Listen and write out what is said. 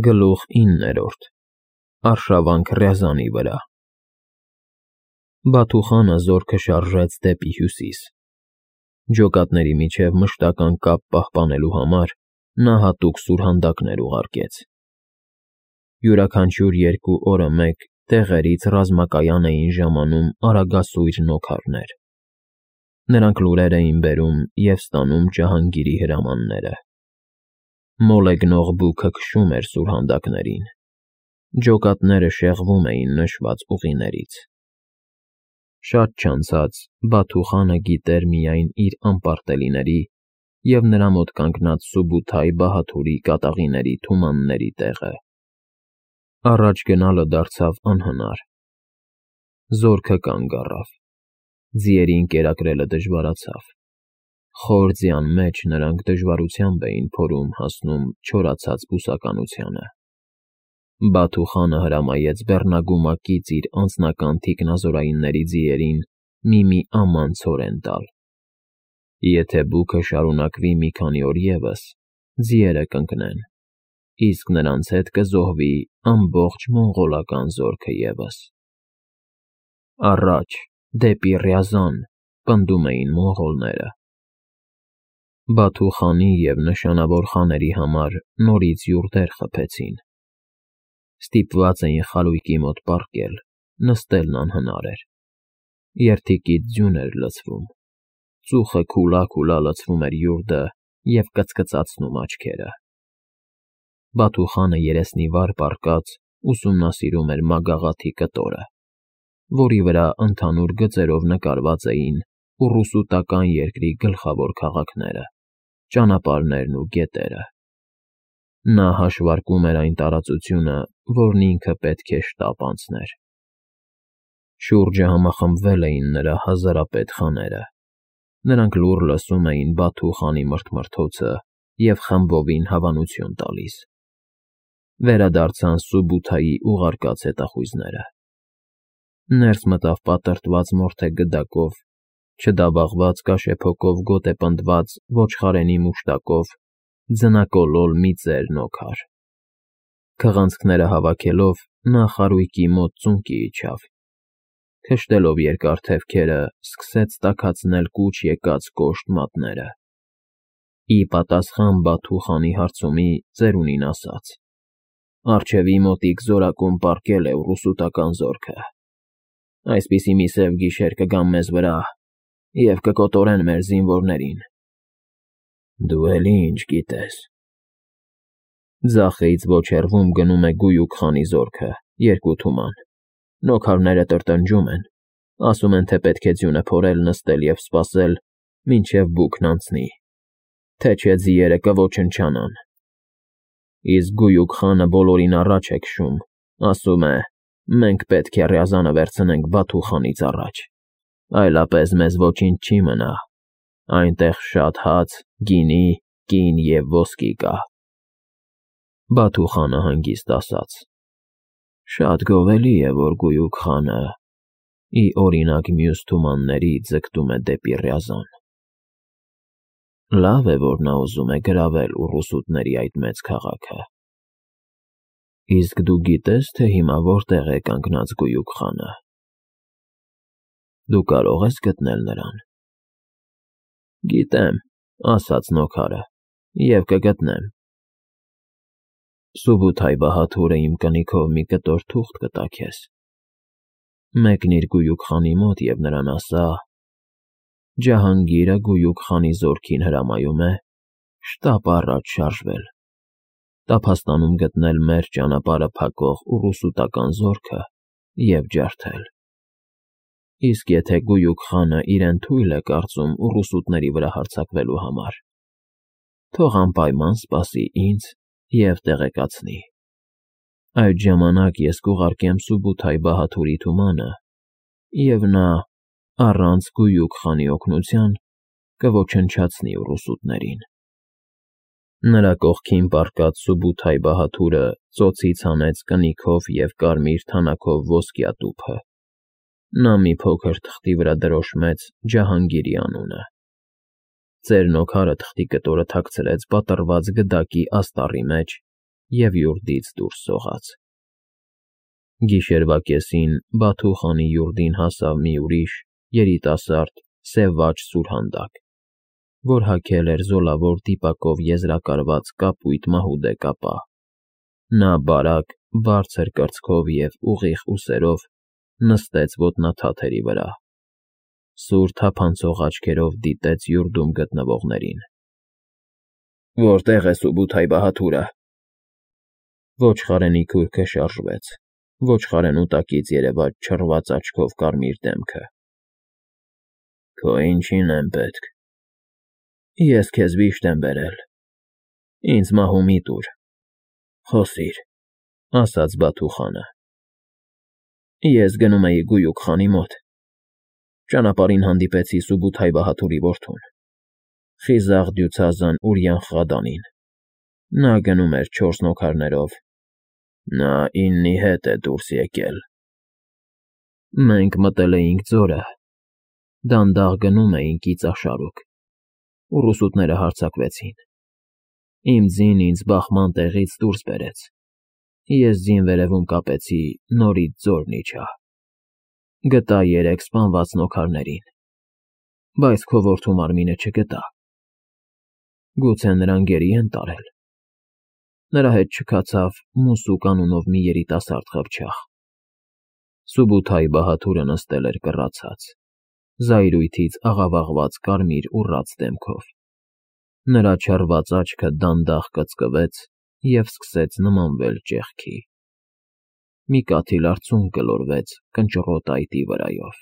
Գլուխ 9 Արշավանք Ռյազանի վրա Բաթուխանը զորքը շարժեց դեպի հյուսիս։ Ջոկատների միջև մշտական կապ պահպանելու համար նա հատուկ սուրհանդակներ ուղարկեց։ Յուրաքանչյուր 2 օրը մեկ տեղերից ռազմակայան էին ժամանում արագասույր նոքարներ։ Նրանք լուրեր էին բերում և ստանում Ջահանգիրի հրամանները։ Մոլեգնող բուքը քշում էր սուրհանդակներին։ Ջոկատները շեղվում էին նշված ուղիներից։ Շատ չանցած Բաթուխանը գիտեր միայն իր անպարտելիների և նրա մոտ կանգնած Սուբութայ Բահաթուրի կատաղիների թումանների տեղը։ Առաջ գնալը դարձավ անհնար։ Զորքը կանգ առավ։ Ձիերին կերակրելը դժվարացավ։ Խոր ձյան մեջ նրանք դժվարությամբ էին փորում հասնում չորացած բուսականությանը։ Բաթուխանը հրամայեց բեռնագումակից իր անձնական թիկնազորայինների ձիերին մի աման ցորեն տալ։ Եթե բուքը շարունակվի մի քանի օր ևս, ձիերը կընկնեն, իսկ նրանց հետ կզոհվի ամբողջ մոնղոլական զորքը ևս։ Առաջ, դեպի Ռյազան, պնդում էին մոնղոլները։ Բաթուխանի և նշանավոր խաների համար նորից յուրտեր խփեցին։ Ստիպված էին խարույկի մոտ պառկել, նստելն անհնար էր։ Երդիկից ձյուն էր լցվում։ Ծուխը քուլա լցվում էր յուրտը և կծկծացնում աչքերը։ Բաթուխանը երեսնի վար պառկած ուսումնասիրում էր մագաղաթի կտորը, որի վրա ընդհանուր գծերով նկարված էին ուռուսուտական երկրի գլխավոր քաղաքները, ճանապարհներն ու գետերը։ Նա հաշվարկում էր այն տարածությունը, որն ինքը պետք է շտապ անցներ։ Շուրջը համախմբվել էին նրա հազարապետ խաները։ Նրանք լուռ լսում էին Բաթուխանի մրթմրթոցը և խմբովին հավանություն տալիս։ Վերադարձան Սուբութայի ուղարկած հետախույզները։ Ներս մտավ պատրտված մորթե գդակով, չդաբաղված կաշեփոկով գոտեպնդված ոչխարենի մուշտակով, ձնակոլոլ մի ծեր նոքար։ Քղանցքները հավաքելով՝ նա խարույկի մոտ ծունկի իջավ։ Քշտելով երկար թևքերը՝ սկսեց տաքացնել կուչ եկած կոշտ մատները։ Ի պատասխան Բաթուխանի հարցումի ծերունին ասաց. «Առջևի մոտիկ զորակում պառկել է ուռուսուտական զորքը։ Այսպիսի մի սև գիշեր կգան մեզ վրա և կկոտորեն մեր զինվորներին»։ Դու էլի ինչ գիտես։ Ձախից ոչ հեռվում գնում է Գույուք խանի զորքը, 2 թուման։ Նոքարները տրտնջում են, ասում են, թե պետք է ձյունը փորել, նստել և սպասել, մինչև բուքն անցնի, թե չէ ձիերը կոչնչանան։ Իսկ Գույուք խանը բոլորին առաջ է քշում, ասում է. մենք պետք է Ռյազանը վերցնենք Բաթուխանից առաջ, այլապես մեզ ոչինչ չի մնա, այնտեղ շատ հաց, գինի, կին և ոսկի կա։ Բաթուխանը հանգիստ ասաց. «Շատ գովելի է, որ Գույուք խանը, ի օրինակ մյուս թումանների, ձգտում է դեպի Ռյազան։ Լավ է, որ նա ուզում է գրավել ուռուսուտների այդ մեծ քաղաքը։ Իսկ դու գիտե՞ս, թե հիմա որտեղ է կանգնած Գույուք խանը։ Դու կարող ես գտնել նրան»։ «Գիտեմ», ասաց նոքարը, «և կգտնեմ։ Սուբութայ Բահաթուրը իմ կնիքով մի կտոր թուղթ կտա քեզ։ Մեկնիր Գույուք խանի մոտ և նրան ասա. Ջահանգիրը Գույուք խանի զորքին հրամայում է շտապ առաջ շարժվել, տափաստանում գտնել մեր ճանապարհը փակող ուռուսուտական զորքը և ջարդել։ Իսկ եթե Գույուք խանը իրեն թույլ է կարծում ուռուսուտների վրա հարձակվելու համար, թող անպայման սպասի ինձ և տեղեկացնի։ Այդ ժամանակ ես կուղարկեմ Սուբութայ Բահաթուրի թումանը, և նա, առանց Գույուք խանի օգնության, կոչնչացնի ուռուսուտներին»։ Նրա կողքին պառկած Սուբութայ Բահաթուրը ծոցից հանեց կնիքով և կարմիր թանաքով ոսկյա տուփը։ Նա մի փոքր թղթի վրա դրոշմեց Ջահանգիրի անունը։ Ծեր նոքարը թղթի կտորը թաքցրեց պատռված գդակի աստառի մեջ և յուրդից դուրս սողաց։ Գիշերվա կեսին Բաթու խանի յուրդին հասավ մի ուրիշ, երիտասարդ, սևաճ սուրհանդակ, որ հագել էր զոլավոր դիպակով եզրակարված կապույտ մահուդե կապա։ Նա բարակ, բարձր կրծքով և ուղիղ ուսերով նստեց ոտնաթաթերի վրա, սուր թափանցող աչքերով դիտեց յուրդում գտնվողներին։ «Որտե՞ղ է Սուբութայ-Բահադուրը»։ Ոչխարենի քուրքը շարժվեց, ոչխարենու տակից երևաց չռված աչքով կարմիր դեմքը։ «Քո ինչին եմ պետք»։ «Ես քեզ վիշտ եմ բերել, ինձ մահու մի տուր, խոսիր», ֊ ասաց Բաթու խանը։ «Ես գնում էի Գույուկ խանի մոտ, ճանապարհին հանդիպեցի Սուբութայ֊Բահադուրի որդուն, խիզախ դյուցազն Ուրյան֊Խղադանին։ Նա գնում էր 4 նոքարներով, նա իննի հետ է դուրս եկել։ Մենք մտել էինք ձորը, դանդաղ գնում էինք իծաշարուկ, ուռուսուտները հարձակվեցին։ Իմ ձին ինձ բախման տեղից դուրս բերեց, ես ձին վերևում կապեցի, նորից ձորն իջա։ Գտա 3 սպանված նոքարներին, բայց քո որդու մարմինը չգտա։ Գուցե նրան գերի են տարել։ Նրա հետ չքացավ Մուսուկ անունով մի երիտասարդ խղճախ»։ Սուբութայ-Բահադուրը նստել էր կռացած, զայրույթից աղավաղված կարմիր ուռած դեմքով։ Նրա չռված աչքը դանդաղ կծկվեց և սկսեց նմանվել ճեղքի։ Մի կաթիլ արցունք գլորվեց կնճռոտ այտի վրայով։